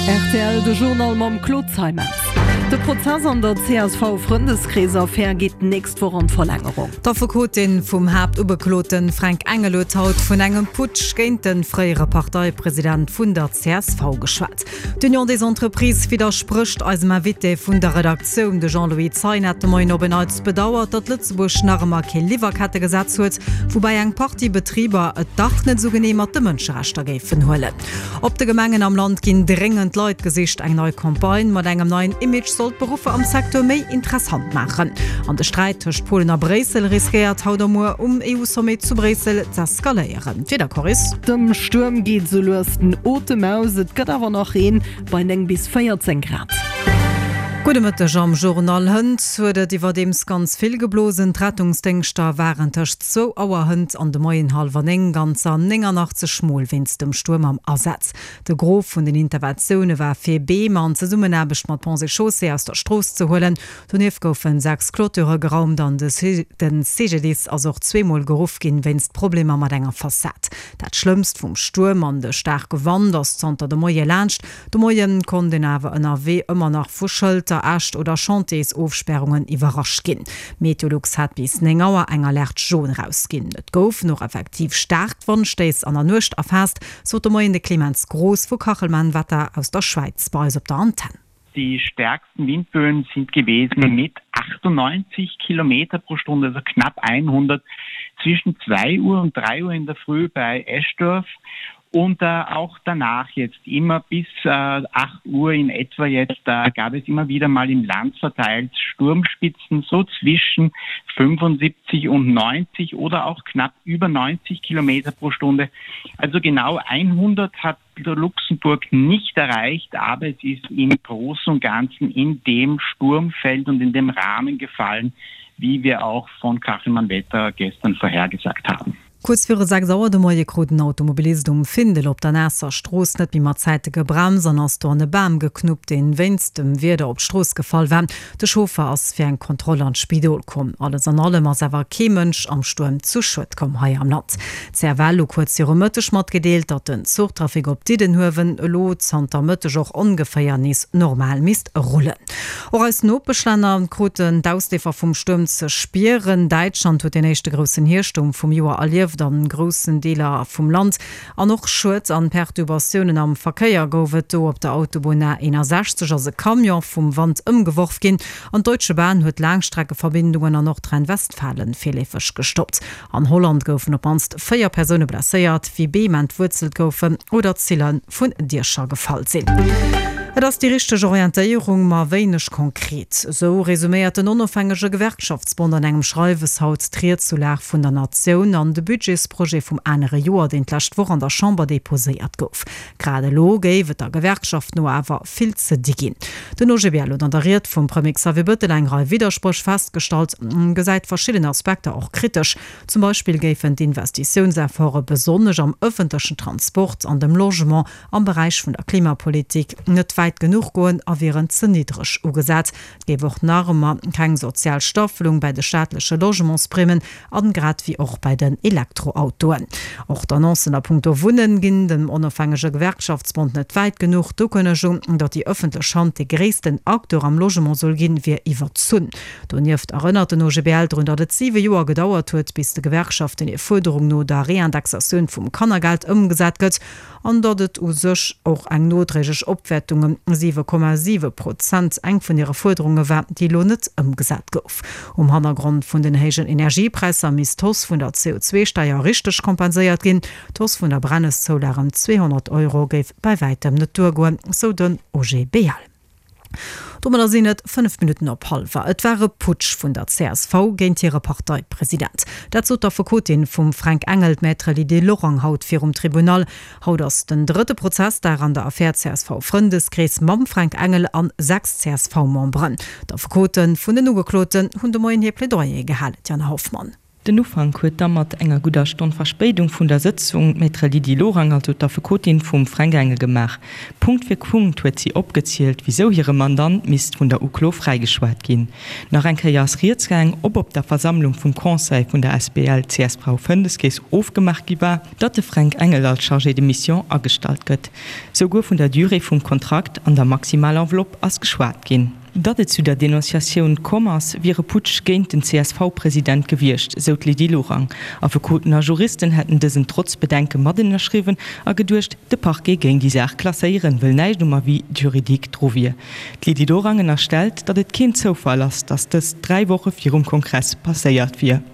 Rtl, De Journal mam Claude Zeimetz. De Prozess an der CSV-Frëndeskrees-Affär geet d'nächst Woch an d'Verlängerung. D'Affekotin vum Haaptugeklote Fränk Engel huet haut vun engem Putsch géint de fréiere Parteipresident vun der csv geschwat. D'Union des Entreprises widdersprécht eisem Invité vun der Redaktioun. De Jean-Louis Zeien hat de Moien op en Neits bedauert, datt Lëtzebuerg nach ëmmer kee Liwwerkettegesetz huet, woubäi eng Partie Betriber et dach net esou genee mat de Mënscherechter géifen huelen. Op de Gemengen am Land ginn dréngend Leit gesicht. Eng nei Campagne mat engem neien Image soll d'Beruffer am Secteur méi interessant maachen. An de Sträit tëscht Polen a Bréissel riskéiert haut a muer um EU-Sommet zu Bréissel z'eskaléieren. D'Wiedercorris. Dem Stuerm geet sou lues den Otem aus, et gëtt awer nach Reen bei 9 bis 14 Grad. Gudde Mëtteg am Journal. Hënt huet et iwwerdeems ganz vill geblosen. D'Rettungsdéngschter waren tëscht zwou Auer hënt an de Moien hallwer 9 ganzer 89 Mol wéinst dem Stuerm am Asaz. De Gros vun den Interventioune war fir Beem an Zesummenaarbecht mat Ponts et Chaussées aus der Strooss ze huelen. Donieft goufen 6 Clôture geraumt an de CGDIS ass och zweemol geruff ginn wéinst Problemer mat enger Fassad. Dat Schlëmmst vum Stuerm an de staarke Wand ass zanter de Moie laanscht. De Moien konnt een awer ënnerwee ëmmer nach vu Schëlter, Äscht oder Chantiersofspärungen iwwerrascht ginn. Meteolux hat bis 9 Auer eng Alerte jaune erausginn. Et goufen och effektiv staark Wandstéiss an der Nuecht erfaasst, sot de Moien de Clemens Groß vu Kachelmann Wetter aus der Schwäiz bei eis op der Antenn. Die stärksten Windböen sind gewesen mit 98 Kilometer pro Stunde, also knapp 100 zwischen 2 Uhr und 3 Uhr in der Früh bei Eschdorf und äh, auch danach jetzt immer bis äh, 8 Uhr in etwa jetzt äh, gab es immer wieder mal im Land verteilt Sturmspitzen so zwischen 75 und 90 oder auch knapp über 90 Kilometer pro Stunde. Also genau 100 hat Luxemburg nicht erreicht, aber es ist im Großen und Ganzen in dem Sturmfeld und in dem Rahmen gefallen, wie wir auch von Kachelmann Wetter gestern vorhergesagt haben. Kuerz viru 6 Auer de Moie krut en Automobilist um Findel op der Naasser Strooss net méi mat Zäite gebremst an ass do an e Bam geknuppt, deen wéinst dem Wieder op d'Strooss gefall war. De Chauffer ass fir eng Kontroll an d'Spidol komm. Alles an allem ass awer kee Mënsch am Stuerm zu Schued komm hei am Land. D'CFL hu kuerz viru Mëtteg matgedeelt, datt den Zuchtrafic op Diddenhuewen elo zanter Mëtteg och ongeféier nees normal misst rullen. Och eis Nopeschlänner kruten d'Ausleefer vum Stuerm ze spieren. Däitschland huet den éischte groussen Hierschtstuerm vum Joer erlieft an groussen Deeler vum Land. An och Schued an Perturbatiounen am Verkéier gouf et do. Op der Autobunn A 61 ass e Camion vum Wand ëmgeworf ginn an d'Deutsche Bahn huet Laangstreckeverbindungen an Nordrhein-Westfalen virleefeg gestoppt. An Holland goufen op d'mannst 4 Persoune blesséiert, wéi Beem entwuerzelt goufen oder Zille vun Diecher gefall sinn. Et ass déi richteg Orientéierung, ma wéineg konkret. Esou resuméiert den onofhängege Gewerkschaftsbond an engem Schreiwes haut d'Ried zur Lag vun der Natioun an de Budgetsprojet vum anere Joer, deen d'lescht Woch an der Chamber deposéiert gouf. Grad elo géif et der Gewerkschaft no awer vill ze di ginn. Den OGBL huet an der Ried vum Premier Xavier Bettel eng Rei Widderspréch festgestallt, gesäit verschidden Aspekter och kritesch. Zum Beispill géifen d'Investitiounsefforte besonnesch am ëffentlechen Transport an dem Logement am Beräich vun der Klimapolitik net wäit genuch goen a wieren ze niddreg ugesat. Et géif och nach ëmmer keng sozial Staffelung bäi de staatleche Logementsprimen an grad wéi och bäi den Elektroautoen. Och d'Annoncen a punkto Wunnen ginn dem onofhängege Gewerkschaftsbond net wäit genuch. D'Ukënnegung, datt déi ëffentlech Hand dee gréissten Acteur am Logement soll ginn, wier iwwerzunn. Donieft erënnert den OGBL drun, datt et siwe Joer gedauert huet, bis de Gewerkschaften hir Fuerderung no der Reindexatioun vum Kannergeld ëmgesat gëtt. an datt et u sech och eng nodréiglech Opwäertung ëm 7,7 Prozent eng vun hire Fuerderunge war, déi elo net ëmgesat gouf. Um Hannergrond vun den héijen Energiepräisser misst d'Hausse vun der CO2-Steier richteg kompenséiert ginn. D'Hausse vun der Brenneszoulag ëm 200 Euro géif bei wäitem net duergoen, sou den OGBL. Domadder sinn et 5 Minutten op hallwer. Et war e Putsch vun der csv géint hire Parteipresident. Dat sot d'Affekotin vum Fränk Engel, d'Maître Lydie Lorang haut virum Tribunal. Haut ass den drëtte Prozessdag an der Affär CSV-Frëndeskrees mam Fränk Engel an 6 CSV-Memberen. D'Affekote vun den Ugekloten hunn de Moien hir Plädoyere gehalen. D'Jana Hoffmann. Den Ufank huet da mat enger gudder Stonn Verspéidung vun der Sëtzung d'Maître Lydie Lorang, also d'Affekotin vum Fränk Engel, gemaach. Punkt fir Punkt huet si opgezielt, wisou hire Mandant misst vun der Uklo fräigeschwat ginn. Nach eng Kéier ass rieds gaang, ob op der Versammlung vum Conseil vun der asbl csv Fëndeskeess ofgemaach gi war, datt de Fränk Engel als Chargé de mission agestallt gëtt. Souguer vun der Durée vum Kontrakt an der maximal Enveloppe ass geschwat ginn. Datt et zu der Denonciatioun komm ass, wier e Putsch géint den CSV-President gewiescht, sou d'Lydie Lorang. Affekoten a Juristen hätten dësen trotz Bedenke mat ënnerschriwwen a geduecht, de Parquet géing déi Saach klasséieren, wëll näischt um Avis juridique dru wier. D'Lydie Lorang ënnerstellt, datt et keen Zoufall ass, datt dëst 3 Woche virum Kongress passéiert wier.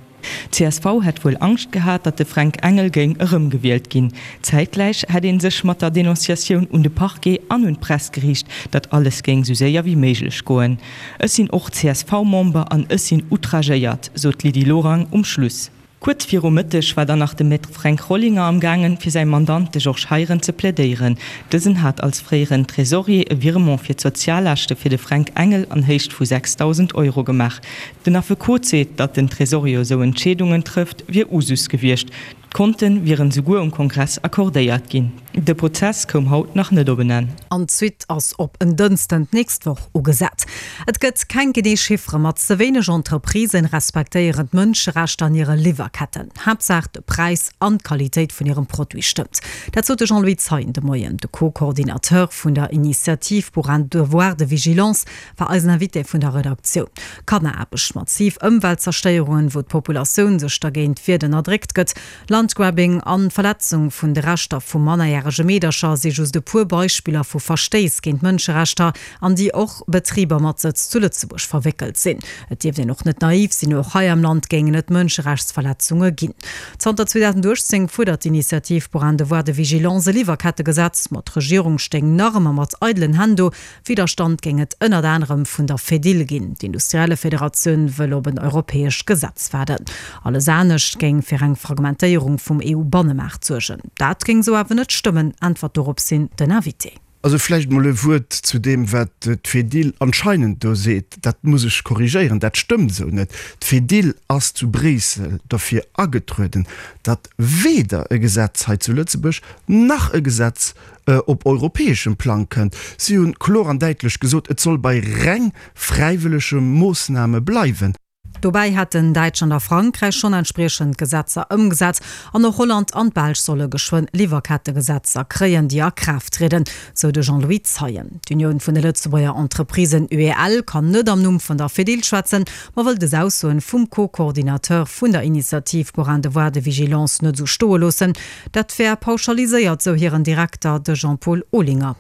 Csv hätt wuel Angscht gehat, datt de Fränk Engel géing erëmgewielt ginn. Zäitgläich hätt ee sech mat der Denonciatioun un de Parquet an un d'Press geriicht, datt alles géing sou séier wéi méiglech goen. Ech sinn och CSV-Member an ech sinn outragéiert, sot d'Lydie Lorang um Schluss. Kuerz viru Mëtteg war dann nach de Maître Fränk Rollinger am gaangen, fir säi Mandant, de Georges Heiren, ze plädéieren. Dësen hat als fréieren Tresorier e Virement fir d'Soziallaaschte fir de Fränk Engel an Héicht vu 6.000 Euro gemaach. Den Affekot seet, datt den Tresorier esou Entscheedungen trëfft, wier Usus gewiescht. D'Konte wieren souguer um Kongress accordéiert ginn. De Prozess koum haut nach net op en Enn. An d'Suite ass op en Dënsten d'nächst Woch ugesat. Et gëtt keng genee Chiffere, ma ze wéineg Entreprisen respektéieren d'Mënscherechter an hire Liwwerketten. Haaptsaach de Präis an d'Qualitéit vun hirem Produit stëmmt. Dat sot de Jean-Louis Zeien de Moien. De Co-Coordinateur vun der Initiative pour un devoir de vigilance war eisen Invité vun der Redaktioun. Kanneraarbecht, massiv Ëmweltzerstéierungen, wou d'Populatioun sech dergéint wiert, ënnerdréckt gëtt, Landgrabbing an d'Verletzung vun de Rechter vu mannerjärege Meedercher si just e puer Beispiller vu Verstéiss géint Mënscherechter, an déi och Betriber mat Sëtz zu Lëtzebuerg verwéckelt sinn. Et dierft een och net naiv sinn, och hei am Land géingen et Mënscherechtsverletzunge ginn. Zanter 2018 fuerdert d'Initiative pour un devoir de vigilance e Liwwerkettegesetz, ma d'Regierung stéing nach ëmmer mat eidelen Hänn do, Widderstand géing et ënnert anerem vun der Fedil ginn. D'Industriellefederatioun wëll op en europäescht Gesetz waarden. Alles anescht géing fir eng Fragmentéierung vum EU-Bannemaart suergen. Dat géing esou awer net stëmmen, äntwert doropshin den Invité. Also vläicht emol e Wuert zu deem, wat d'Fedil anscheinend do seet. Dat muss ech korrigéieren, dat stëmmt esou net. D'Fedil ass zu Bréissel derfir agetrueden, datt weder e Gesetz hei zu Lëtzebuerg nach e Gesetz op europäeschem Plang kënnt. Si hunn kloer an däitlech gesot, et soll bei reng fräiwëllege Moossname bleiwen. Dobäi hätten Däitschland a Frankräich schonn entspriechend Gesetzer ëmgesat an och Holland an d'Belsch solle geschwënn Liwwerkettegesetzer kréien, déi a Kraaft trieden, sou de Jean-Louis Zeien. D'Unioun vun de Lëtzebuerger Entreprisen, UEL, kann net am Numm vun der Fedil schwätzen, ma wëll des Aussoen vum Co-Coordinateur vun der Initiative pour un devoir de vigilance net esou stoe loossen. Dat wär pauschaliséiert, sou hiren Direkter, de Jean-Paul Olinger.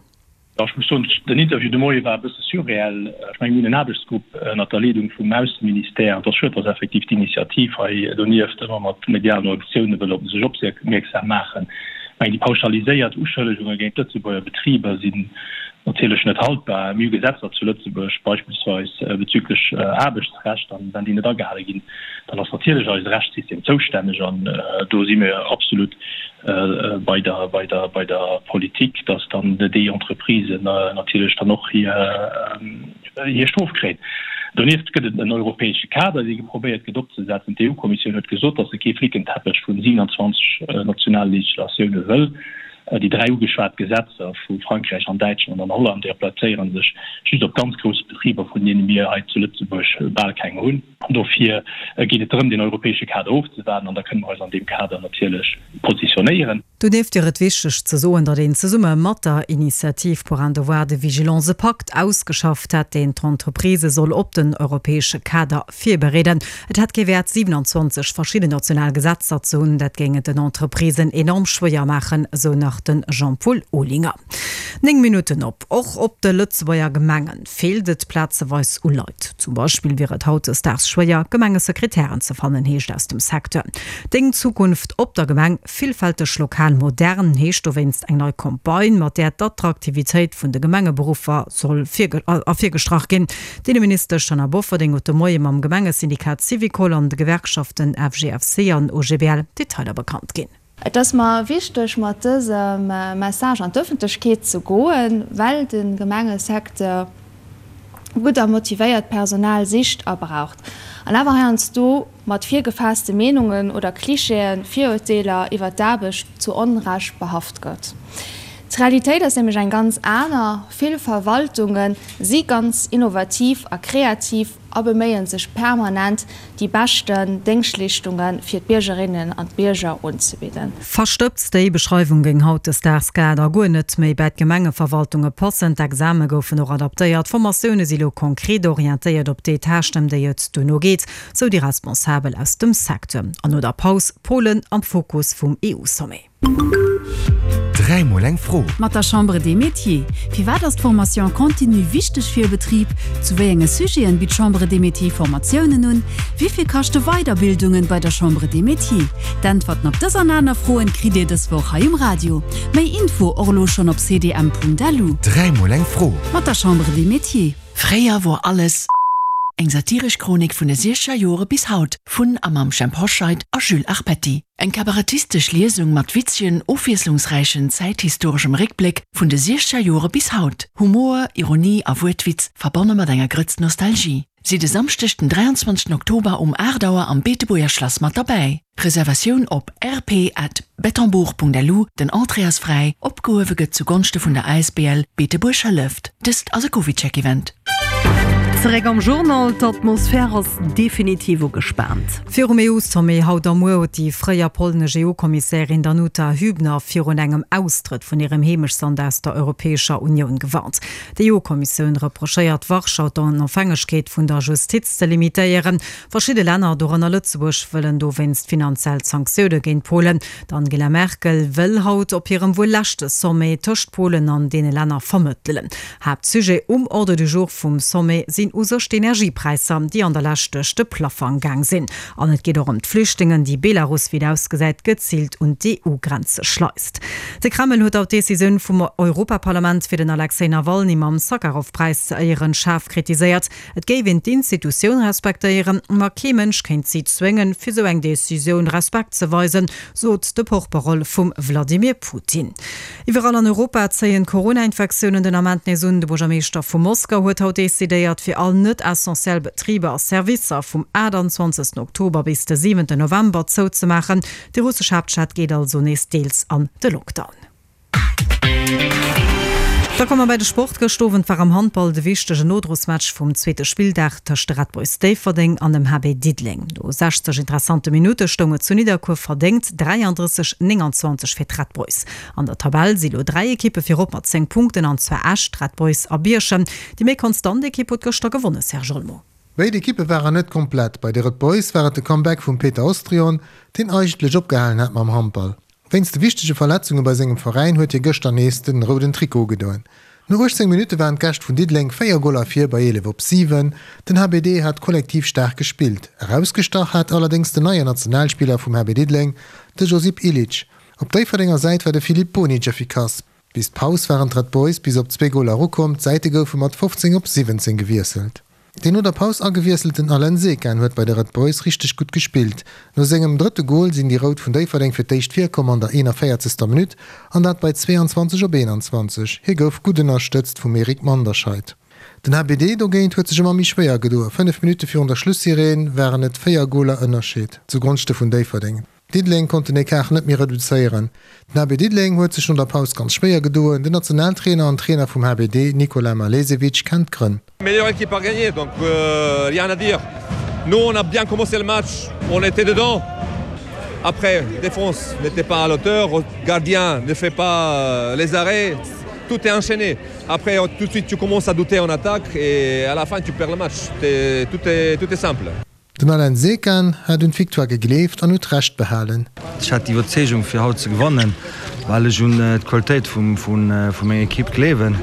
Jo, ech muss soen, den Interview de Moie war e bësse surreell. Ech mengen, mir hunn en Aarbechtsgrupp ënnert der Leedung vum Ausseministère. Et ass schued, dass effektiv d'Initiativ hei donieft ëmmer mat medialen Aktioune wëll op sech opmierksam maachen. Ech mengen, déi pauschaliséiert Uschëllegunge géint d'Lëtzebuerger Betriber sinn natierlech net haltbar. Mir hu Gesetzer zu Lëtzebuerg, beispillsweis bezüglech Aarbechtsrecht, an wenn déi net agehale ginn, dann ass natierlech eise Rechtssystem zoustänneg an do si mir absolut bei der, bei der, bei der Politik, dass dann déi Entreprisen natierlech dann och hir, hir Strof kréien. Donieft gëtt et en europäesche Kader, dee geprobéiert gëtt opzesetzen. D'EU-Kommissioun huet gesot, dass se kee Flickenteppech vun 27 nationale Legislatioune wëll. Déi dräi ugeschwat Gesetzer vu Frankräich an Däitschland an Holland, déi applizéiere sech just op ganz grouss Betriber, vun deene mir hei zu Lëtzebuerg bal keng hunn. Dofir geet et drëm, deen europäesche Kader ofzewaarden, an da kënne mer eis an deem Kader natierlech positionéieren. Donieft wier et wichteg ze soen, datt een zesumme mat der Initiative pour un devoir de vigilance e Pakt ausgeschafft hätt, deen d'Entreprisë soll op den europäesche Kader virbereeden. Et hätt kee Wäert, 27 verschidden national Gesetzer ze hunn, dat géing et den Entreprisen enorm schwéier maachen, sou nach de Jean-Paul Olinger. 9 Minutten op. Och op de Lëtzebuerger Gemengen feelt et plazeweis u Leit. Zum Beispill wier et hautdesdaags schwéier, Gemengesekretären ze fannen, heescht aus dem Secteur. Deng Zukunft op der Gemeng, villfälteg, lokal, modern, heescht dowéinst eng nei Campagne, mat där d'Attraktivitéit vun de Gemengeberuffer soll ervirgestrach ginn. D'Inneministesch Taina Bofferding huet de Moie mam Gemengesyndikat Syvicol an de Gewerkschaften FGFC an OGBL Detailer bekannt ginn. Et ass mer wichteg, mat dësem Message an d'Ëffentlechkeet ze goen, well de Gemengesecteur. gutt a motivéiert Personal sicht a braucht, an awer heiansdo mat virgefaasste Meenungen oder Klischeeën, Virurteeler iwwer d'Aarbecht zu Onrecht behaft gëtt. D'Realitéit ass nämlech eng ganz aner, Vill Verwaltunge si ganz innovativ a kreativ a beméie sech permanent, déi beschten Déngschtleeschtunge fir d'Biergerinnen an d'Bierger unzebidden. Verstëbst, déi Beschreiwung géing hautdesdaags grad a guer net méi bäi d'Gemengeverwaltunge passen. D'Exame goufen och adaptéiert, d'Formatioune si lo konkret orientéiert op déi Tâchen, ëm déi et duerno geet, sou déi Responsabel aus dem Secteur. An no der Paus, Polen am Fokus vum EU-Sommet. Dräimol eng Fro. Mat der Chambre des Métiers. Firwat ass d'Formation continue wichteg fir e Betrib? Zu wéi enge Sujeten bitt d'Chambre des Métiers Formatiounen un? Wéi vill kaschte Weiderbildungen bei der Chambre des Métiers? D'Äntwerten op dës an aner Froen kritt Dir dës Woch hei um Radio. Méi Info och elo schonn op cdm.lu. Dräimol eng Fro. Mat der Chambre des Métiers. Fréier wor alles. Eng satiresch Chronik vun de siechzeger Jore bis haut, vun a mam Jhemp Hoscheit a Jules Arpetti. Eng kabarettistesch Liesung mat witzegen, ofwiesslungsräichen zäithistoreschem Réckbléck vun de siechzeger Jore bis haut. Humor, Ironie a Wuertwitz, verbonne mat enger Grëtz Nostalgie. Sidd e Samschdeg den 23 Oktober um 8 Auer am Beetebuerger Schlass mat derbäi. Reservatioun op rp at bettembourg.lu, den Entrée ass fräi, opgehuewe gëtt zu Gonschte vun der asbl Beetebuerg hëlleft. Dëst ass e CovidCheck-Event. Zeréck am Journal, D'Atmosphär ass definitiv ugespaant. Virum EU-Sommet haut a muer huet déi fréier polnesch EU-Kommissärin Danuta Hübner virun engem Austrëtt vun hirem Heemechtsland aus der Europäescher Unioun gewarnt. D'EU-Kommissioun reprochéiert Warschau d'Onofhängegkeet vun der Justiz ze limitéieren. Verschidde Länner, dorënner Lëtzebuerg, wëllen dowéinst finanziell Sanktioune géint Polen. D'Angela Merkel wëll haut op hirem wuel leschte Sommet tëscht Polen an deene Länner vermëttelen. Haaptsujet um Ordre du jour vum Sommet sinn u sech d'Energiepräisser, déi an der Lescht duerch de Plaffang gaang sinn. An et geet och ëm d'Flüchtlingen, déi Belarus, wéi et ausgesäit, geziilt un d'EU-Grenze schleist. De Kreml huet haut d'Decisioun vum Europaparlament, fir den Alexej Nawalny mam Sakharov-Präis ze éieren, schaarf kritiséiert. Et géif een d'Institutioun respektéieren, ma kee Mënsch kéint si zwéngen, fir sou eng Decisioun Respekt ze weisen, sot de Porte-parole vum Vladimir Putin. Iwwerall an Europa zéien d'Corona-Infektiounen den Ament nees un. De Buergermeeschter vu Moskau huet haut decidéiert, fir all net-essentiell Betriber a Servicer vum 28. Oktober bis de 7. November zouzemaachen. Déi russesch Haaptstad geet also nees deels an de Lockdown. Da komme mer bei de Sport. Gëscht Owend war am Handball de wichtegen Nodrosmatch vum zweete Spilldag tëscht de Red Boys Déifferdeng an dem HB Diddeleng. No 60 interessante Minutte stoung et zu Nidderkuer verdéngt 33, 29 fir d'Red Boys. An der Tabell si lo 3 Ekippe virop mat 10 Punkten, an zwar Esch, d'Red Boys a Bierchem. Déi méi konstant Ekipp huet gëschter gewonne, Serge Olmo. Béid Ekippe waren net komplett. Bei de Red Boys war et de Comeback vum Peter Ostrion, deen eigentlech opgehalen hat mam Handball. Wéinst de wichtege Verletzunge bei sengem Veräin huet hie gëschter nees den rouden Trikot ugedoen. No 18 Minutte waren d'Gäscht vun Diddeleng 4 Goler vir bei 11 op 7. Den HBD hat kollektiv staark gespillt. Erausgestach hat allerdéngs den neien Nationalspiller vum HB Diddeleng, de Josip Ilic. Op Déifferdenger Säit war de Filip Bonic effikass. Bis d'Paus waren d'Red Boys bis op zwee Goler erukomm, d'Säite goufe mat 15 op 17 gewiesselt. Deen no der Paus agewiesselten Alen Sekan huet bei de Red Boys richteg gutt gespillt. No sengem drëtte Gol sinn déi Rout vun Déifferdeng fir d'éischt virkomm an der 41. Minutt an dat bei 22 op 21. Hie gouf gutt ënnerstëtzt vum Eric Manderscheid. Den HBD dogéint huet sech ëmmer méi schwéier gedoe. 5 Minutte virun der Schlussireen waren et 4 Goler Ënnerscheed zu Gonschte vun Déifferdeng. Diddeleng konnt den Ecart net méi reduzéieren. Den HB Diddeleng huet sech no der Paus ganz schwéier gedoen. Den Nationaltrainer an Trainer vum HBD, Nikola Malesevic, kennt d'Grënn. Meilleure équipe a gagné, donc rien à dire. Nous on a bien commencé le match, on était dedans. Après, défense n'était pas à la hauteur, gardien ne fait pas les arrêts, tout est enchaîné. Après, tout de suite tu commences à douter en attaque et à la fin tu perds le match. Tout est, tout est simple. Den Alain Sekan hat un d'Victoire gegleeft an huet Recht behalen. Ech hat déi Iwwerzeegung fir haut ze gewannen, well ech un d'Qualitéit vu menger Ekipp gleewen.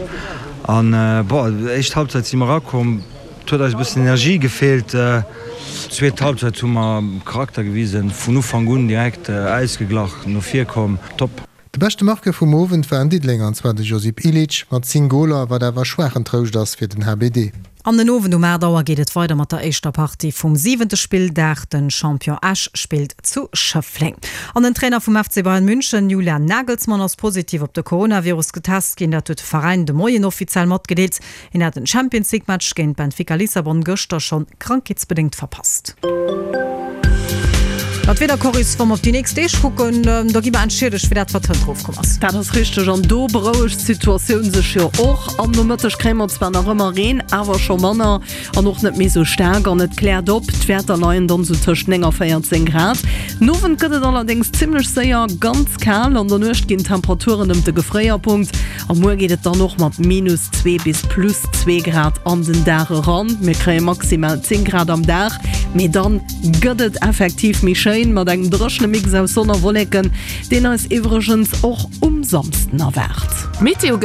An bon, éischt Halbzeit si mer erakomm, et huet eis e bëssen Energie gefeelt. Zweet Halbzeit hu mer Charakter gewisen, vun Ufank un direkt ausgeglach no vir komm, top. De beschte Marqueur vum Owend war en Diddelenger an zwar de Josip Ilic mat 10 Goler, wat awer schwaachen Trouscht ass fir den HBD. An den Owend um 8 Auer geet et weider mat der éischter Partie vum siwente Spilldag. Den Champion Esch spillt zu Schëffleng. An den Trainer vum FC Bayern München, Julian Nagelsmann, ass positiv op de Coronavirus getest ginn. Dat huet de Veräin de Moien offiziell matgedeelt. Hien hat den Champions League Match géint Benfica Lissabon gëschter schonn krankheetsbedéngt verpasst. An d'Wieder, Coris, wa mer op déi nächst Deeg kucken, da gi mer entschiedegt fir dat, wat hënt erofkomm ass. Dat ass richteg an do berouegt d'Situatioun sech jo och. Am Nomëtteg kréie mer zwar nach ëmmer Reen, awer scho manner an och net méi sou staark an et kläert op. D'Wäerter leien dann sou tëscht 9 a 14 Grad. Den Owend gëtt et allerdéngs zimmlech séier ganz kal, an der Nuecht ginn d'Temperaturen ëm de Gefréierpunkt. A muer geet et dann och mat minus 2 bis plus 2 Grad an den Dag eran. Mir kréie maximal 10 Grad am Dag, mee dann gëtt et effektiv méi schéin mat engem dréchene Mix aus Sonn a Wolleken, deen eis iwwregens och um Samsden erwaart. D'Meteo.